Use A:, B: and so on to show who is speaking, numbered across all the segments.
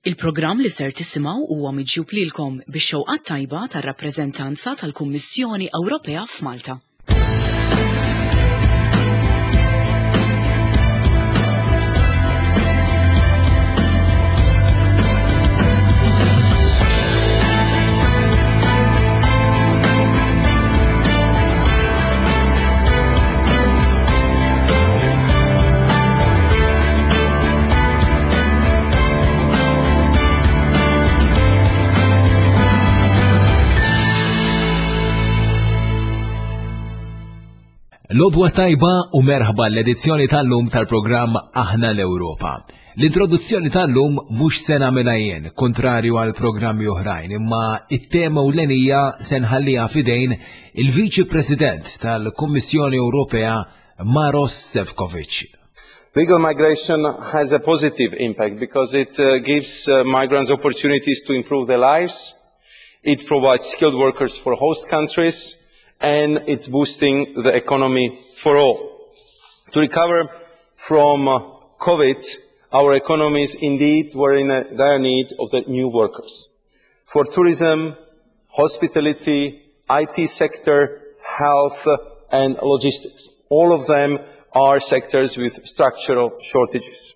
A: Il-programm li ser tisimgħu huwa miġjub lilkom bix-xewqat tajba tar-rappreżentanza tal-Kummissjoni Ewropea f'Malta.
B: Lodwa tajba u merħba l-edizzjoni tal-lum tal-programm Aħna l-Ewropa. L-introduzzjoni tal-lum mhux se nagħmilha jien, kontrarju għal programmi oħrajn, imma it-tema u l-enija se nħalliha f'idejn il-Viċi President tal-Kummissjoni Ewropea Maros Sefcovic.
C: Legal migration has a positive impact because it uh, gives uh, migrants opportunities to improve their lives, it provides skilled workers for host countries, and it's boosting the economy for all. To recover from uh, COVID, our economies indeed were in a dire need of the new workers. For tourism, hospitality, IT sector, health, and logistics. All of them are sectors with structural shortages.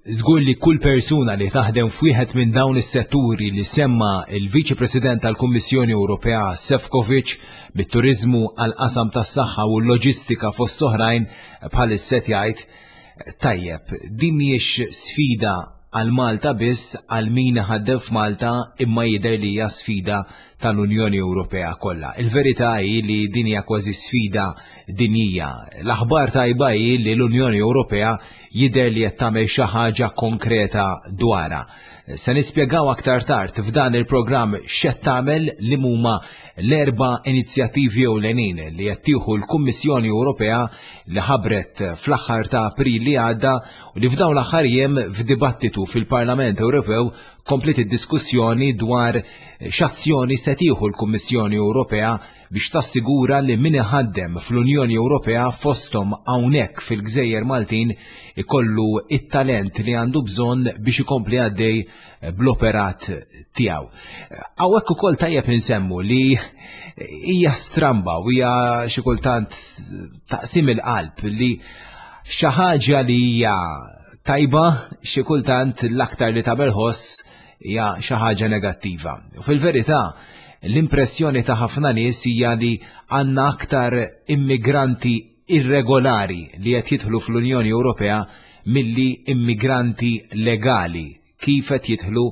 B: Żgur li kull persuna li taħdem f'wieħed minn dawn is-setturi li semma il-Viċi President tal-Kummissjoni Ewropea Sefcovic mit-turiżmu għal qasam tas-saħħa u l-loġistika fost oħrajn bħalissa qed jgħid tajjeb, din mhijiex sfida għal Malta biss għal min iħaddem f'Malta imma jidher li hija sfida tal-Unjoni Ewropea kollha. Il-verità hi li din hija kważi sfida dinjija. L-aħbar tajba hi li l-Unjoni Ewropea jidher li qed tagħmel xi ħaġa konkreta dwarha. Se nispjegaw aktar tard f'dan il-programm x'qed tagħmel li huma l-erba' inizjattivi ewlenin li qed tieħu l-Kummissjoni Ewropea li ħabbret fl-aħħar ta' April li għadda u li f'dawn l-aħħar jiem f'dibattitu fil-Parlament Ewropew kompliet id-diskussjoni dwar x'azzjoni se tieħu l-Kummissjoni Ewropea biex tassigura li min iħaddem fl-Unjoni Ewropea fosthom hawnhekk fil-Gżejjer Maltin ikollu it-talent li għandu bżonn biex ikompli għaddej bl-operat tiegħu. Hawnhekk ukoll tajjeb insemmu li hija stramba u hija xi kultant taqsim il-qalb li xi ħaġa li hija tajba xi kultant l-aktar li tagħmel ħoss hija xi ħaġa negattiva. U fil-verità, l-impressjoni ta' ħafna nies hija li għandna aktar immigranti irregolari li qed jidħlu fl-Unjoni Ewropea milli immigranti legali kif qed jidħlu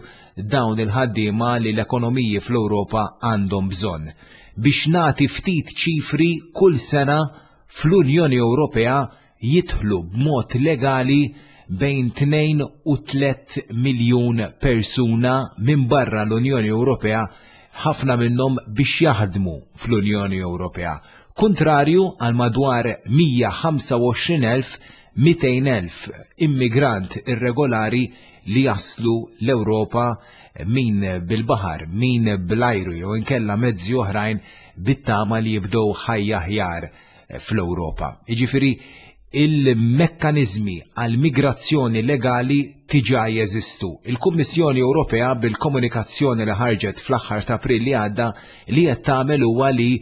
B: dawn il-ħaddiema li l-ekonomiji fl-Ewropa għandhom bżonn. Biex nagħti ftit ċifri kull sena fl-Unjoni Ewropea jidħlu b'mod legali bejn 2 u 3 miljun persuna minn barra l-Unjoni Ewropea, ħafna minnhom biex jaħdmu fl-Unjoni Ewropea. Kuntrarju għal madwar 125,000 200,000 immigrant irregolari li jaslu l-Ewropa min bil-baħar, min bl-ajru jew inkella mezzi oħrajn bit-tama li jibdew ħajja aħjar fl-Ewropa. Jiġifieri il-mekkaniżmi għal migrazzjoni legali tiġa jeżistu. Il-Kummissjoni Ewropea bil-komunikazzjoni li ħarġet fl-aħħar ta' April li għadda li qed tagħmel huwa li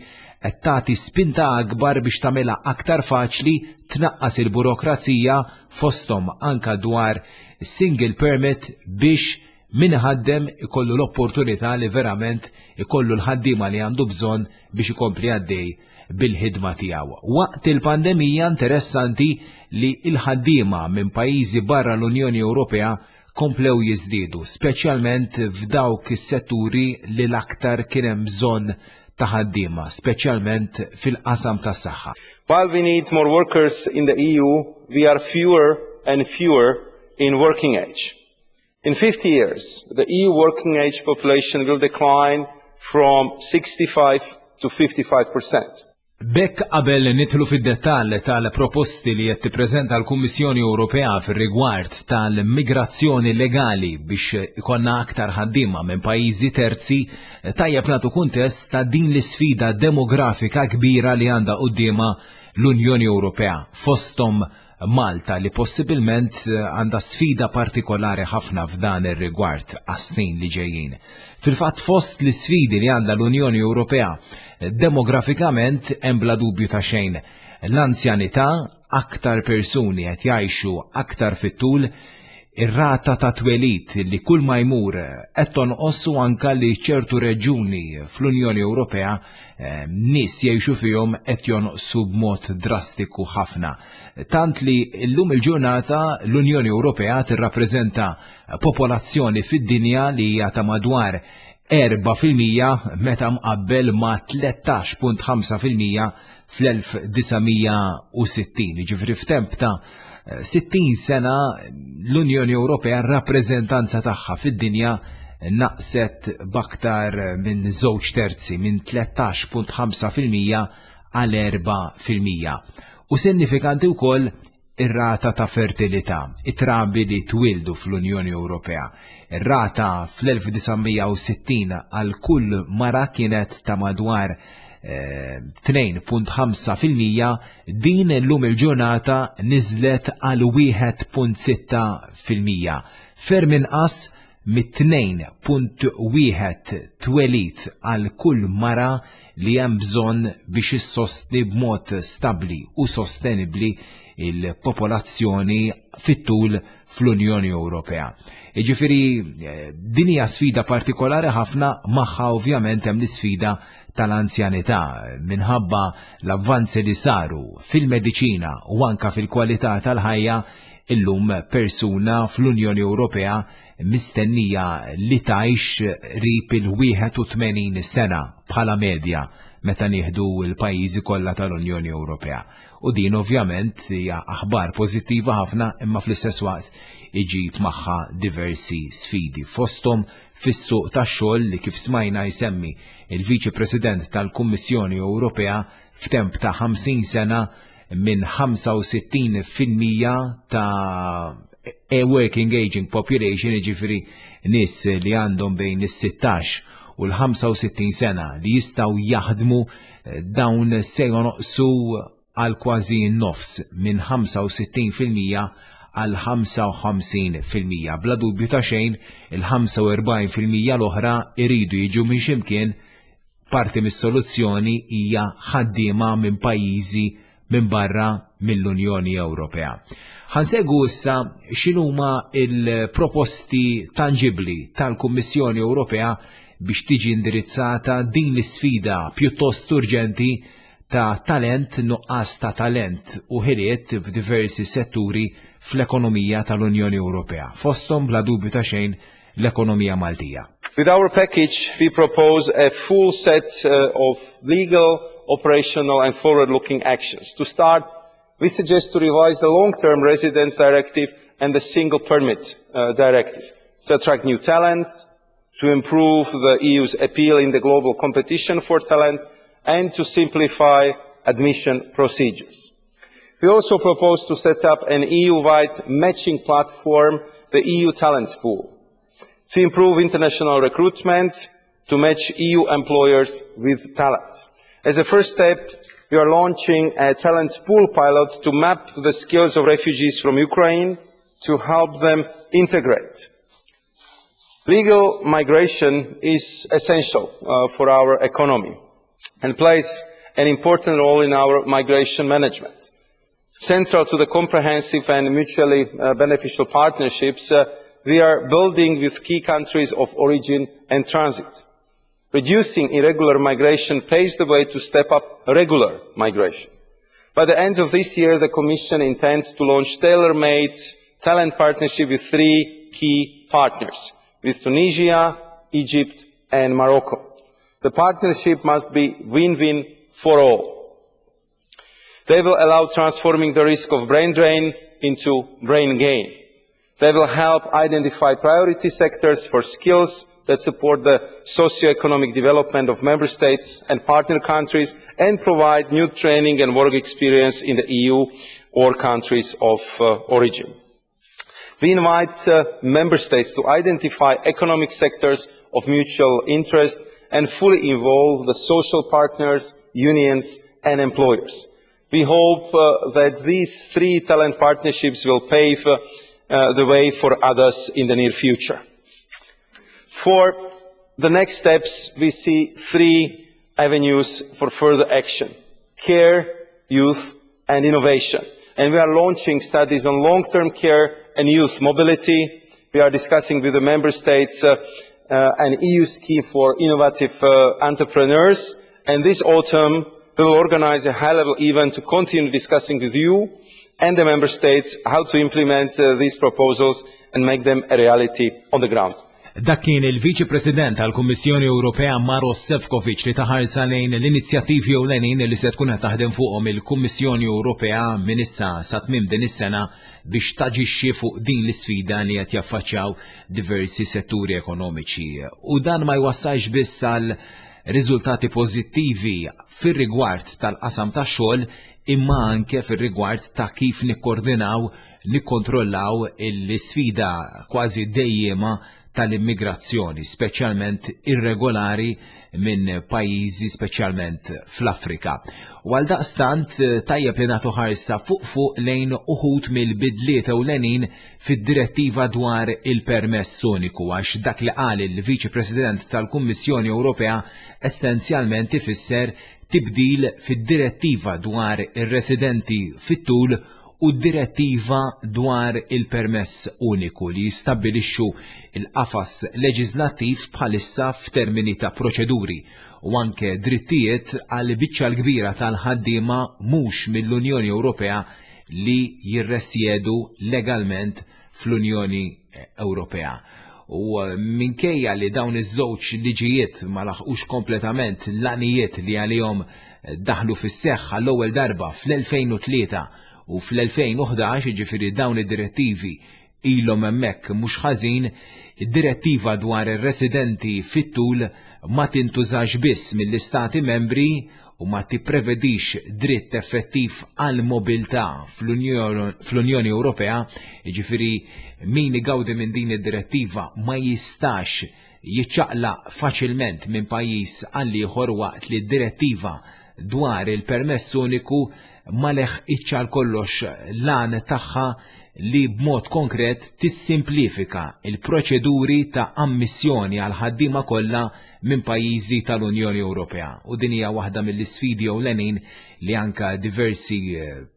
B: qed tagħti spinta akbar biex tagħmilha aktar faċli tnaqqas il-burokrazija fosthom anka dwar single permit biex min iħaddem ikollu l-opportunità li verament ikollu l-ħaddiema li għandu bżonn biex ikompli għaddej bil-ħidma tiegħu. Waqt il-pandemija interessanti li l-ħaddiema minn pajjiżi barra l-Unjoni Ewropea komplew jiżdiedu, speċjalment f'dawk is-setturi li l-aktar kien hemm bżonn ta' ħaddiema, speċjalment fil-qasam tas-saħħa.
C: While we need more workers in the EU, we are fewer and fewer in working age. In 50 years, the EU working age population will decline from 65 to 55 percent.
B: B'hekk qabel nidħlu fid-dettall tal-proposti li qed tippreżenta l-Kummissjoni Ewropea fir-rigward tal-migrazzjoni legali biex ikollna aktar ħaddiema minn pajjiżi terzi, tajjeb nagħtu kuntest ta' din l-isfida demografika kbira li għandha quddiemha l-Unjoni Ewropea, fosthom. Malta li possibilment għandha sfida partikolari ħafna f'dan ir-rigward għas-snin li ġejjin. Fil-fatt fost l-isfidi li għandha l-Unjoni Ewropea demografikament hemm bla dubju ta' xejn l-anzjanità, aktar persuni qed jgħixu aktar fit-tul, ir-rata ta' twelid li kull ma jmur qed tonqos u anka li ċertu reġuni fl-Unjoni Ewropea eh, nies jgħixu fihom qed jonqsu b'mod drastiku ħafna. Tant li llum il-ġurnata l-Unjoni Ewropea tirrappreżenta popolazzjoni fid-dinja li hija ta' madwar 4% meta mqabbel ma' 13.5% fl-1960. Ġifri f'temp ta' 60 sena l-Unjoni Ewropea r-rappreżentanza tagħha fid-dinja naqset b'aktar minn żewġ terzi minn 13.5% għal 4%. U sinifikanti wkoll ir-rata ta' fertilità, it-trabi li twildu fl-Unjoni Ewropea. Ir-rata fl-1960 għal kull mara kienet ta' madwar 2.5% eh, din l-lum il-ġurnata niżlet għal 1.6%. Ferm inqas mit-2.1 twelid għal kull mara li hemm bżonn biex issostni b'mod stabbli u sostenibbli il-popolazzjoni fit-tul fl-Unjoni Ewropea. Jiġifieri eh, din hija sfida partikolari ħafna magħha ovvjament hemm l-isfida tal-anzjanità minħabba l-avvanzi li saru fil-mediċina u anka fil-kwalità tal-ħajja illum persuna fl-Unjoni Ewropea mistennija li tgħix qrib il-81 sena bħala medja meta nieħdu l-pajjiżi kollha tal-Unjoni Ewropea. U din ovvjament hija aħbar pożittiva ħafna imma fl-istess waqt iġib magħha diversi sfidi. Fosthom fis-suq tax-xogħol li kif smajna jsemmi il-Viċi President tal-Kummissjoni Ewropea f'temp ta' 50 sena minn 65% ta' a working aging population, jiġifieri nies li għandhom bejn is-16 u l-65 sena li jistgħu jaħdmu eh, dawn se jonoqsu għal kważi nofs minn 65% għal 55%. Bla dubju ta' xejn, il-45% l-oħra iridu jiġu minn ximkien. Parti mis-soluzzjoni hija ħaddiema minn pajjiżi minn barra mill-Unjoni Ewropea. Ħa nsegwu issa x'inhuma il-proposti tanġibbli tal-Kummissjoni Ewropea biex tiġi indirizzata din l-isfida pjuttost urġenti ta' talent, nuqqas ta' talent u ħiliet f'diversi setturi fl-ekonomija tal-Unjoni Ewropea. Fosthom bla dubju ta' xejn l-ekonomija Maltija.
C: With our package, we propose a full set of legal, operational and forward-looking actions. To start, we suggest to revise the Long-Term Residence Directive and the Single Permit Directive to attract new talent, to improve the EU's appeal in the global competition for talent, and to simplify admission procedures. We also propose to set up an EU-wide matching platform, the EU Talents Pool, to improve international recruitment, to match EU employers with talent. As a first step, we are launching a talent pool pilot to map the skills of refugees from Ukraine to help them integrate. Legal migration is essential for our economy and plays an important role in our migration management. Central to the comprehensive and mutually beneficial partnerships we are building with key countries of origin and transit. Reducing irregular migration paves the way to step up regular migration. By the end of this year, the Commission intends to launch tailor-made talent partnership with three key partners, with Tunisia, Egypt and Morocco. The partnership must be win-win for all. They will allow transforming the risk of brain drain into brain gain. They will help identify priority sectors for skills that support the socio-economic development of member states and partner countries and provide new training and work experience in the EU or countries of origin. We invite member states to identify economic sectors of mutual interest and fully involve the social partners, unions and employers. We hope uh, that these three talent partnerships will pave uh, uh, the way for others in the near future. For the next steps, we see three avenues for further action. Care, youth, and innovation. And we are launching studies on long-term care and youth mobility. We are discussing with the member states uh, uh, an EU scheme for innovative uh, entrepreneurs. And this autumn, we will organize a high-level event to continue discussing with you and the member states how to implement uh, these proposals and make them a reality on the ground.
B: Dak kien il-Viċi President tal-Kummissjoni Ewropea Maros Sefcovic li ta ħarsa lejn l-inizjattivi ewlenin li se tkun qed taħdem fuqhom il-Kummissjoni Ewropea minn issa sa tmiem din is-sena biex taġixxi fuq din l-isfida li qed jaffaċċjaw diversi setturi ekonomiċi. U dan ma jwassalx biss għal riżultati pożittivi fir-rigward tal-qasam tax-xogħol imma anke fir-rigward ta' kif nikkoordinaw nikkontrollaw l-isfida kważi dejjema tal-immigrazzjoni, speċjalment irregolari minn pajjiżi speċjalment fl-Afrika. U għal daqstant tajjeb li nagħtu ħarsa fuq fuq lejn uħud mill-bidliet ewlenin fid-direttiva dwar il-permess uniku għax dak li qal il-Viċi President tal-Kummissjoni Ewropea essenzjalment ifisser tibdil fid-direttiva dwar ir-residenti fit-tul u d-Direttiva dwar il-Permess Uniku li jistabbilixxu l-qafas leġiżlattiv bħalissa f'termini ta' proċeduri u anke drittijiet għall-biċċa l-kbira tal-ħaddiema mhux mill-Unjoni Ewropea li jirresjedu legalment fl-Unjoni Ewropea. U minkejja li dawn iż-żewġ liġijiet ma laħqux kompletament l-għanijiet li għalihom daħlu fis-seħħ għall-ewwel darba fl-2003 u fl-2011, jiġifieri dawn id-direttivi ilhom hemmhekk mhux ħażin, id-direttiva dwar ir-residenti fit-tul ma tintużax biss mill-Istati Membri u ma tipprevedix dritt effettiv għall-mobilità fl-Unjoni Ewropea, jiġifieri min igawdi minn din id-direttiva ma jistax jiċċaqlaq faċilment minn pajjiż għal ieħor waqt li d-direttiva dwar il-permess uniku ma leħqitx għal kollox l-għan tagħha li b'mod konkret tissimplifika l-proċeduri ta' ammissjoni għall-ħaddiema kollha minn pajjiżi tal-Unjoni Ewropea. U din hija waħda mill-isfidi ewlenin li anke diversi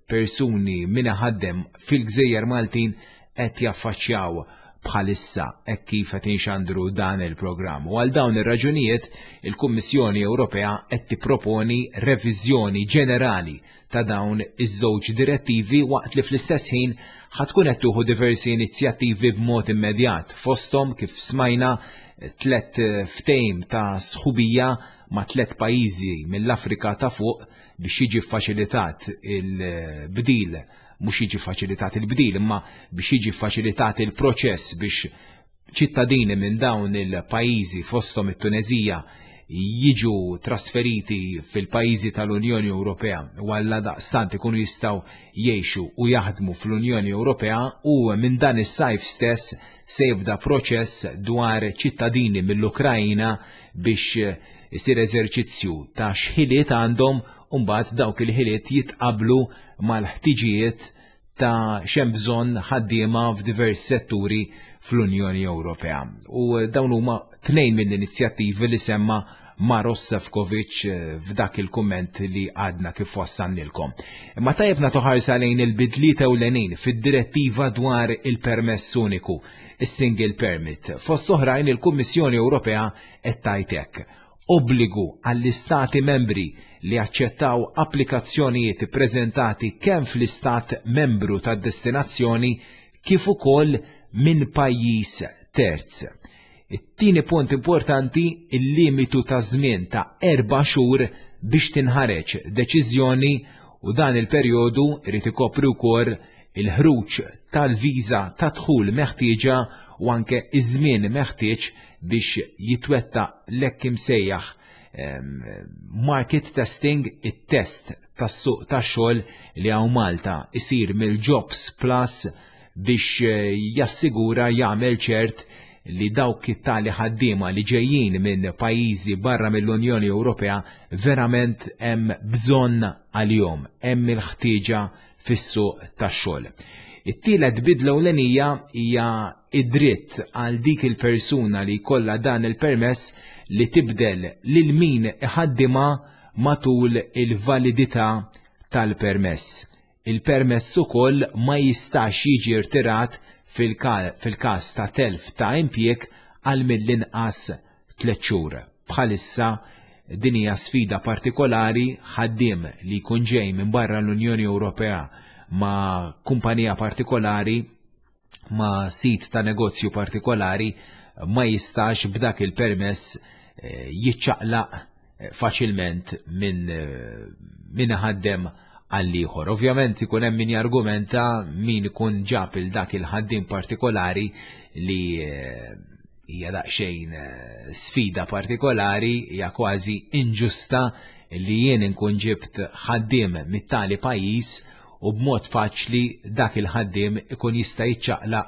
B: persuni min iħaddem fil-gżejjer Maltin qed jaffaċċjaw bħalissa hekk kif qed inxandru dan il-programm. U għal dawn ir-raġunijiet il-Kummissjoni Ewropea qed tipproponi reviżjoni ġenerali ta' dawn iż-żewġ direttivi waqt li fl-istess ħin ħa tkun qed tuħu diversi inizjattivi b'mod immedjat fosthom kif smajna tlet ftehim ta' sħubija ma' tlet pajjiżi mill-Afrika ta' fuq biex jiġi ffaċilitat il-bdil mhux jiġi faċilitat il-bdil imma biex jiġi faċilitat il-proċess biex ċittadini minn dawn il-pajjiżi fosthom it-Tuneżija jiġu trasferiti fil-pajjiżi tal-Unjoni Ewropea u għalla daqstant ikunu jistgħu jgħixu u jaħdmu fl-Unjoni Ewropea u minn dan is-sajf stess se jibda proċess dwar ċittadini mill-Ukrajna biex isir eżerċizzju ta' x'ħiliet għandhom u mbagħad dawk il-ħiliet jitqablu mal-ħtiġijiet ta' x'hemm bżonn ħaddiema f'diversi setturi fl-Unjoni Ewropea. U dawn huma tnejn mill-inizjattivi li semma Maros Sefcovic eh, f'dak il-kumment li għadna kif wassannilkom. Imma tajjeb nagħtu ħarsa lejn il-bidliet ewlenin fid-direttiva dwar il-permess uniku, is-single permit. Fost oħrajn il-Kummissjoni Ewropea qed tgħid hekk. Obbligu għall-Istati Membri li jaċċettaw applikazzjonijiet ippreżentati kemm fl-Istat Membru tad-destinazzjoni kif ukoll minn pajjiż terz. It-tieni punt importanti, il-limitu ta' żmien ta' erba' xhur biex tinħareġ deċiżjoni u dan il-perjodu jrid ikopri wkoll il-ħruġ tal-viża ta' dħul meħtieġa u anke ż-żmien meħtieġ biex jitwettaq l-hekk imsejjaħ ehm, market testing, it-test tas-suq tax-xogħol li hawn Malta isir mill-Jobs Plus biex eh, jassigura jagħmel ċert li dawk it-tali ħaddiema li ġejjin minn pajjiżi barra mill-Unjoni Ewropea verament hemm bżonn għalihom, hemm il-ħtieġa fis-suq tax-xogħol. It-tielet bidla ewlenija hija id-dritt għal dik il-persuna li jkollha dan il-permess li tibdel lil min iħaddimha matul il-validità tal-permess. Il-permess ukoll ma jistax jiġi rtirat fil-każ ta' telf ta' impjieg għal mill-inqas tliet xhur. Bħalissa din hija sfida partikolari ħaddiem li jkun ġej minn barra l-Unjoni Ewropea ma' kumpanija partikolari ma' sit ta' negozju partikolari ma jistax b'dak il-permess eh, jiċċaqlaq eh, faċilment minn eh, min ħaddem għall-ieħor. Ovvjament ikun hemm min jargumenta min ikun ġab il dak il-ħaddiem partikolari li hija daqsxejn sfida partikolari, hija kważi inġusta li jien inkun ġibt ħaddiem mit-tali pajjiż u b'mod faċli dak il-ħaddiem ikun jista' jiċċaqlaq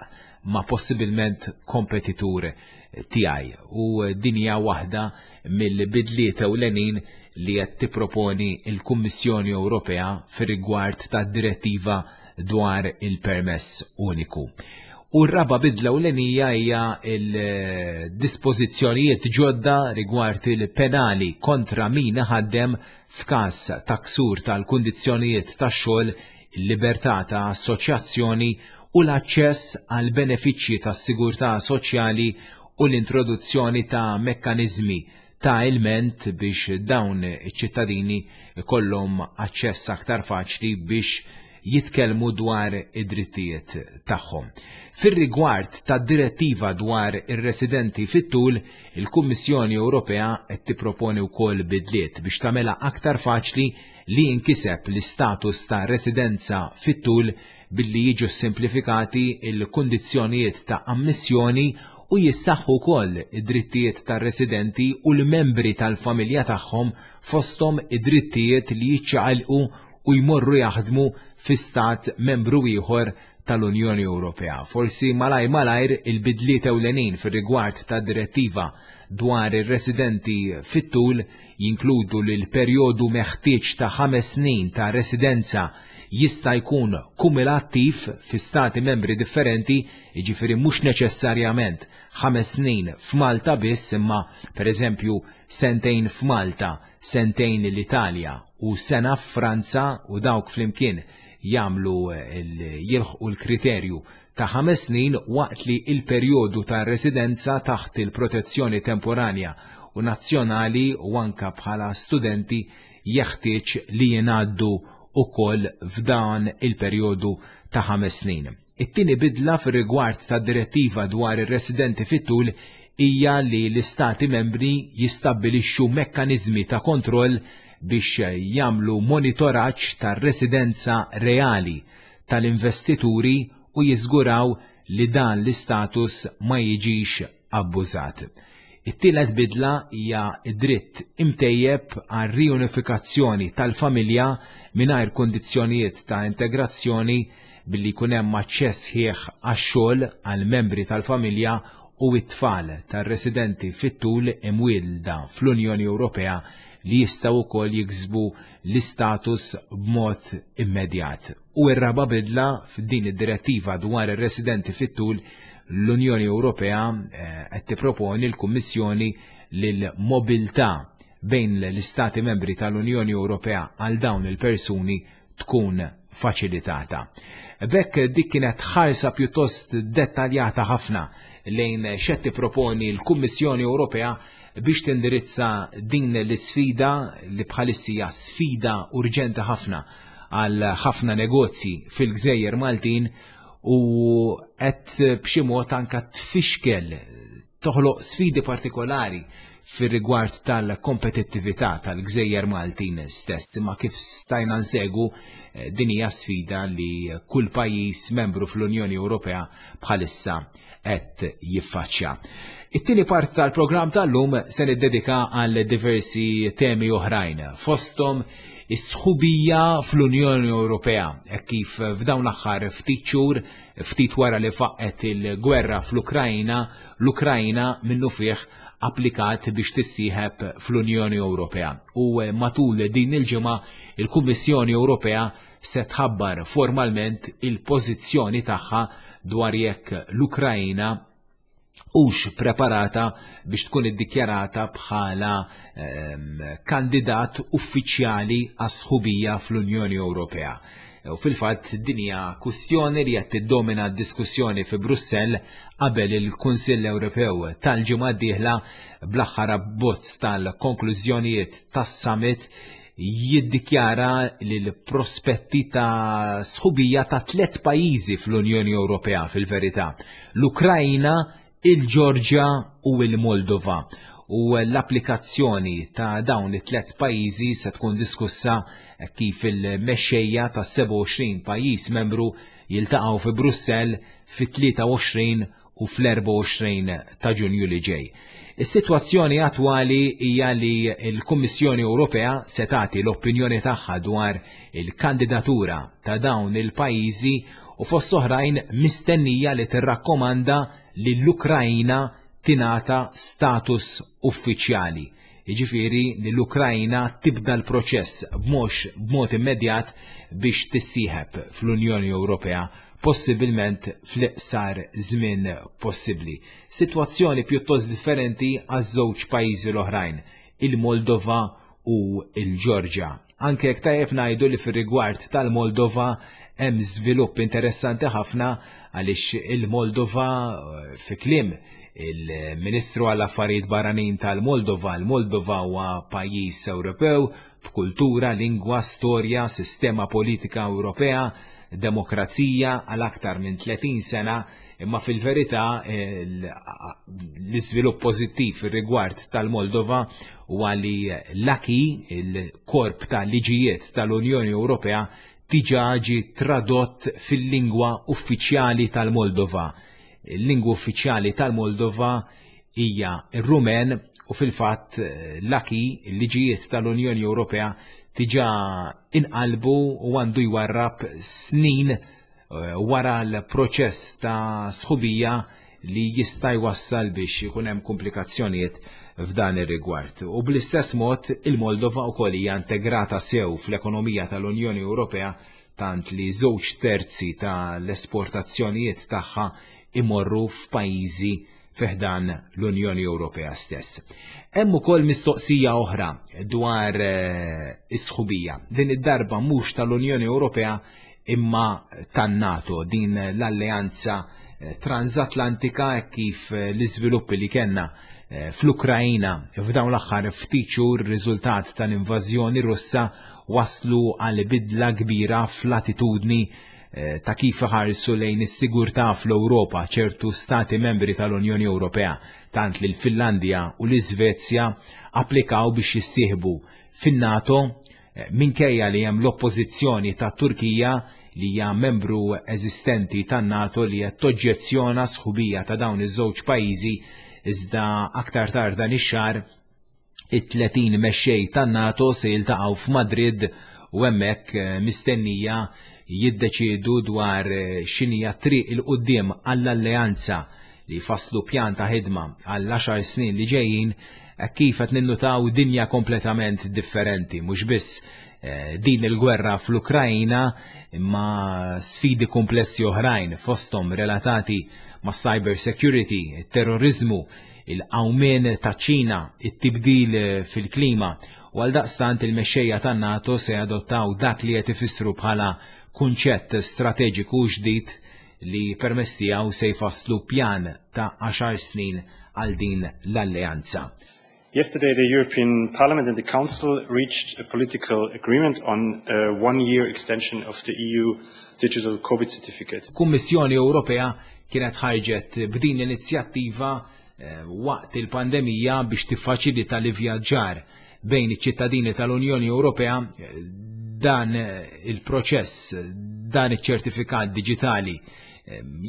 B: ma' possibilment kompetitur tiegħi. U din hija waħda mill-bidliet ewlenin li qed tipproponi l-Kummissjoni Ewropea fir-rigward tad-direttiva dwar il-permess uniku. U r-raba bidla ewlenija hija l-dispożizzjonijiet ġodda rigward il-penali kontra min iħaddem f'każ ta' ksur tal-kundizzjonijiet tax-xogħol, il-libertà ta' assoċjazzjoni u l-aċċess għal benefiċċji tas-sigurtà soċjali u l-introduzzjoni ta' mekkaniżmi ta' ilment biex dawn iċ-ċittadini jkollhom aċċess aktar faċli biex jitkellmu dwar id-drittijiet tagħhom. Fir-rigward tad-direttiva dwar ir-residenti fit-tul, il-Kummissjoni Ewropea qed tipproponi wkoll bidliet biex tagħmilha aktar faċli li jinkiseb l-istatus ta' residenza fit-tul billi jiġu ssimplifikati l-kundizzjonijiet ta' ammissjoni u jissaħħu wkoll id-drittijiet tar-residenti u l-membri tal-familja tagħhom fosthom id-drittijiet li jiċċaqalqu u jmorru jaħdmu fi stat membru ieħor tal-Unjoni Ewropea. Forsi malajr malajr il-bidliet ewlenin fir-rigward tad-direttiva dwar ir-residenti fit-tul jinkludu li l-perjodu meħtieġ ta' ħames snin ta' residenza jista' jkun kumulattiv fi stati membri differenti, jiġifieri mhux neċessarjament ħames snin f'Malta biss imma pereżempju sentejn f'Malta, sentejn l-Italja u sena f'Franza u dawk flimkien jagħmlu jilħqu l-kriterju ta' ħames snin waqt li l-perjodu ta' residenza taħt il-protezzjoni temporanja u nazzjonali u anke bħala studenti jeħtieġ li jingħaddu wkoll f'dan il-perjodu ta' ħames snin. It-tieni bidla fir-rigward tad-Direttiva dwar ir-residenti fit-tul hija li l-Istati Membri jistabbilixxu mekkaniżmi ta' kontroll biex jagħmlu monitoraġġ tar-residenza reali tal-investituri u jiżguraw li dan l-istatus ma jiġix abbużat. It-tielet bidla hija d-dritt imtejjeb għar-riunifikazzjoni tal-familja mingħajr kundizzjonijiet ta' integrazzjoni billi jkun hemm aċċess sħiħ għax-xogħol għall-membri tal-familja u t-tfal tar-residenti fit-tul imwielda fl-Unjoni Ewropea li jistgħu wkoll jiksbu l-istatus b'mod immedjat. U r-raba' bidla f'din id-direttiva dwar ir-residenti fit-tul l-Unjoni Ewropea eh, qed tipproponi l-Kummissjoni li l-mobilità bejn l-Istati membri tal-Unjoni Ewropea għal dawn il-persuni tkun faċilitata. B'hekk dik kienet ħarsa pjuttost dettaljata ħafna lejn x'qed tipproponi l-Kummissjoni Ewropea biex tindirizza din l-isfida li bħalissa sfida urġenti ħafna għal ħafna negozji fil-gżejjer Maltin u qed b'xi mod anka tfixkel toħloq sfidi partikolari fir-rigward tal-kompetittività tal-gżejjer Maltin stess, imma kif stajna nsegu eh, din hija sfida li kull pajjiż membru fl-Unjoni Ewropea bħalissa qed jiffaċċja. It-tieni part tal-programm tal-lum se niddedika għal diversi temi oħrajn, fosthom is-sħubija fl-Unjoni Ewropea, hekk kif f'dawn l-aħħar ftit xhur, ftit wara li faqqgħet il-gwerra fl-Ukrajna, l-Ukrajna minnufih applikat biex tissieħeb fl-Unjoni Ewropea. U matul din il-ġimgħa il-Kummissjoni Ewropea se tħabbar formalment il-pożizzjoni tagħha dwar jekk l-Ukrajna hux preparata biex tkun iddikjarata bħala ehm, kandidat uffiċjali għas-sħubija fl-Unjoni Ewropea. U fil-fatt din hija kwistjoni li qed tiddomina d-diskussjoni fi Brussell qabel il-Kunsill Ewropew tal-ġimgħa d-dieħla bl-aħħar abbozz tal-konklużjonijiet tas-summit jiddikjara li l-prospetti ta' sħubija ta' tlet pajjiżi fl-Unjoni Ewropea fil-verità, l-Ukrajna, il-Ġorġja u l-Moldova. U l-applikazzjoni ta' dawn it-tlet pajjiżi se tkun diskussa kif il-mexxejja ta' 27 pajjiż membru jiltaqgħu fi Brussell fit-23 u fl-24 ta' Ġunju li ġej. Is-sitwazzjoni attwali hija li l-Kummissjoni Ewropea se tagħti l-opinjoni tagħha dwar il-kandidatura ta' dawn il-pajjiżi u fost oħrajn mistennija li tirrakkomanda li l-Ukrajna tingħata status uffiċjali. Jiġifieri li l-Ukrajna tibda l-proċess b'mod b'mod immedjat biex tissieħeb fl-Unjoni Ewropea possibilment fl-iqsar żmien possibbli. Sitwazzjoni pjuttost differenti għaż-żewġ pajjiżi l-oħrajn, il-Moldova u l-Ġorġja. Anke jekk tajjeb ngħidu li fir-rigward tal-Moldova hemm żvilupp interessanti ħafna għaliex il-Moldova fi kliem il-Ministru għall-Affarijiet Barranin tal-Moldova, il-Moldova huwa pajjiż Ewropew b'kultura, lingwa, storja, sistema politika Ewropea, demokrazija għal aktar minn 30 sena, imma fil-verità l-iżvilupp pożittiv fir-rigward tal-Moldova huwa li l-acquis, il-korp ta' liġijiet tal-Unjoni Ewropea, diġà ġie tradott fil-lingwa uffiċjali tal-Moldova. Il-lingwa uffiċjali tal-Moldova hija r-Rumen u fil-fatt l-acquis, il-liġijiet tal-Unjoni Ewropea, diġà inqalbu u għandu jwarrab snin eh, wara l-proċess ta' sħubija li jista' jwassal biex ikun hemm komplikazzjonijiet f'dan ir-rigward. U bl-istess mod il-Moldova wkoll hija integrata sew fl-ekonomija tal-Unjoni Ewropea tant li żewġ terzi tal-esportazzjonijiet tagħha imorru f'pajjiżi fi ħdan l-Unjoni Ewropea stess. Hemm ukoll mistoqsija oħra dwar eh, is-sħubija. Din id-darba mhux tal-Unjoni Ewropea imma tan-NATO, din l-alleanza eh, transatlantika kif eh, l-iżviluppi li kellna fl-Ukrajina f'dawn l-aħħar ftit xhur riżultat tal-invażjoni Russa waslu għal bidla kbira fl-attitudni Eh, ta' kif iħarsu lejn is-sigurtà fl-Ewropa ċertu stati membri tal-Unjoni Ewropea, tant li l-Finlandja u l-Iżvezja applikaw biex jissieħbu fin-NATO eh, minkejja li hemm l-oppożizzjoni ta' Turkija li hija membru eżistenti tan-NATO li qed toġġezzjona sħubija ta' dawn iż-żewġ pajjiżi iżda aktar tard dan ix-xahar It-30 mexxej tan-NATO se jiltaqgħu f'Madrid u hemmhekk eh, mistennija jiddeċiedu dwar eh, x'inhija triq il quddiem għall-alleanza li jfasslu pjan ta' ħidma għall-għaxar snin li ġejjin eh, kif qed ninnutaw dinja kompletament differenti, mhux biss din il-gwerra fl-Ukrajna imma sfidi komplessi oħrajn fosthom relatati ma' cyber security, terrorizmu, il-qawmien taċ-Ċina, it-tibdil fil-klima u għaldaqstant il-mexxejja tan-NATO se jadottaw dak li qed ifissru bħala kunċett strateġiku ġdid li permezz tiegħu se jfasslu pjan ta' għaxar snin għal din l-alleanza.
C: Yesterday, the European Parliament and the Council reached a political agreement on a one-year extension of the EU Digital COVID Certificate.
B: Kummissjoni Ewropea kienet ħarġet b'din l-inizjattiva eh, waqt il-pandemija biex tiffaċilita l-ivvjaġġar bejn iċ-ċittadini tal-Unjoni Ewropea eh, dan eh, il-proċess, dan iċ-ċertifikat diġitali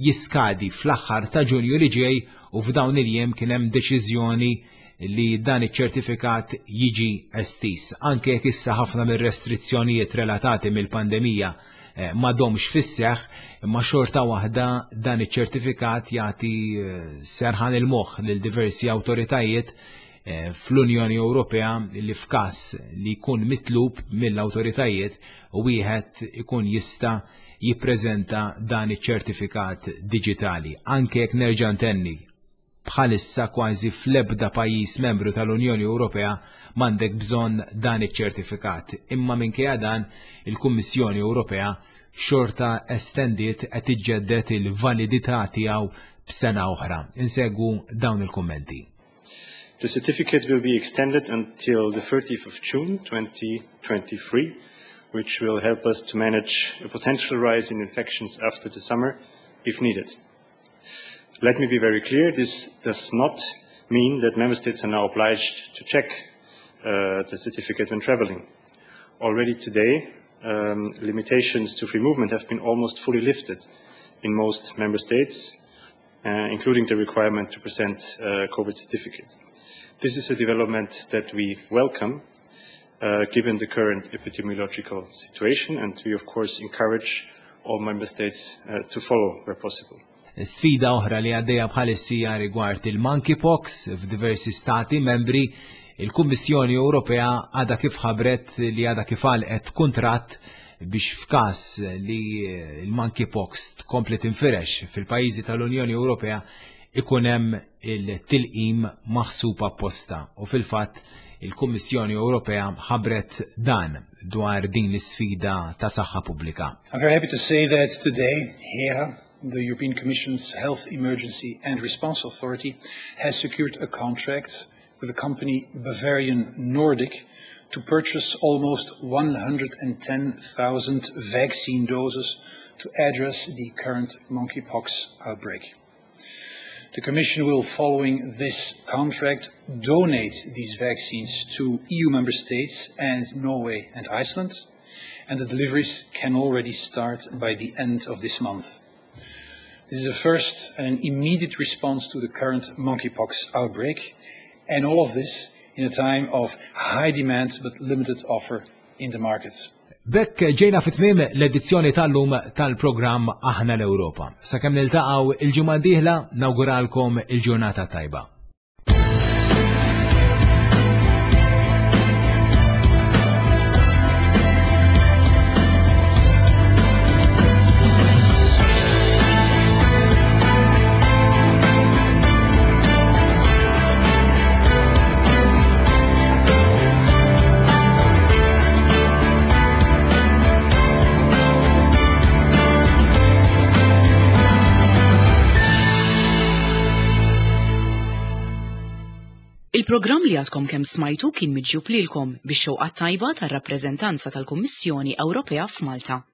B: jiskadi fl-aħħar ta' Ġunju li ġej u f'dawn il-jiem kien hemm deċiżjoni li dan iċ-ċertifikat jiġi estiż. Anke jekk issa ħafna mir-restrizzjonijiet relatati mill-pandemija eh, m'għadhomx fis-seħħ, imma xorta waħda dan iċ-ċertifikat jagħti eh, serħan il-moħħ lil diversi awtoritajiet eh, fl-Unjoni Ewropea li f'każ li jkun mitlub mill-awtoritajiet u wieħed ikun jista' jippreżenta dan iċ-ċertifikat diġitali. Anke jekk nerġa' ntenni bħalissa kważi fl-ebda pajjiż membru tal-Unjoni Ewropea m'għandek bżonn dan iċ-ċertifikat. Imma minkejja dan, il-Kummissjoni Ewropea xorta estendiet qed iġġedded il-validità tiegħu b'sena oħra. Insegwu dawn il-kummenti.
D: The certificate will be extended until the 30th of June 2023, which will help us to manage a potential rise in infections after the summer if needed. Let me be very clear, this does not mean that member states are now obliged to check uh, the certificate when traveling. Already today, um, limitations to free movement have been almost fully lifted in most member states, uh, including the requirement to present a COVID certificate. This is a development that we welcome, uh, given the current epidemiological situation, and we of course encourage all member states uh, to follow where possible.
B: Sfida oħra li għaddejja bħalissa rigward il-monkeypox f'diversi stati membri, il-Kummissjoni Ewropea għadha kif ħabret li għadha kif għalqet kuntratt biex f'każ li l-monkeypox tkompli tinfirex fil-pajjiżi tal-Unjoni Ewropea ikun hemm il-tilqim maħsub apposta u fil-fatt il-Kummissjoni Ewropea ħabret dan dwar din l-isfida ta' saħħa pubblika.
E: I'm very happy to say that today here the European Commission's Health Emergency and Response Authority has secured a contract with the company Bavarian Nordic to purchase almost 110,000 vaccine doses to address the current monkeypox outbreak. The Commission will, following this contract, donate these vaccines to EU member states and Norway and Iceland, and the deliveries can already start by the end of this month. This is a first and an immediate response to the current monkeypox outbreak, and all of this in a time of high demand but limited offer in the markets.
B: B'hekk ġejna fi tmiem l-edizzjoni tal-lum tal-programm Aħna l-Ewropa. Sakemm niltaqgħu il-ġimgħa d-dieħla nawguralkom il-ġurnata tajba.
A: Il-programm li għadkom kemm smajtu kien miġjub lilkom bix-xewqa tajba tar-rappreżentanza tal-Kummissjoni Ewropea f'Malta.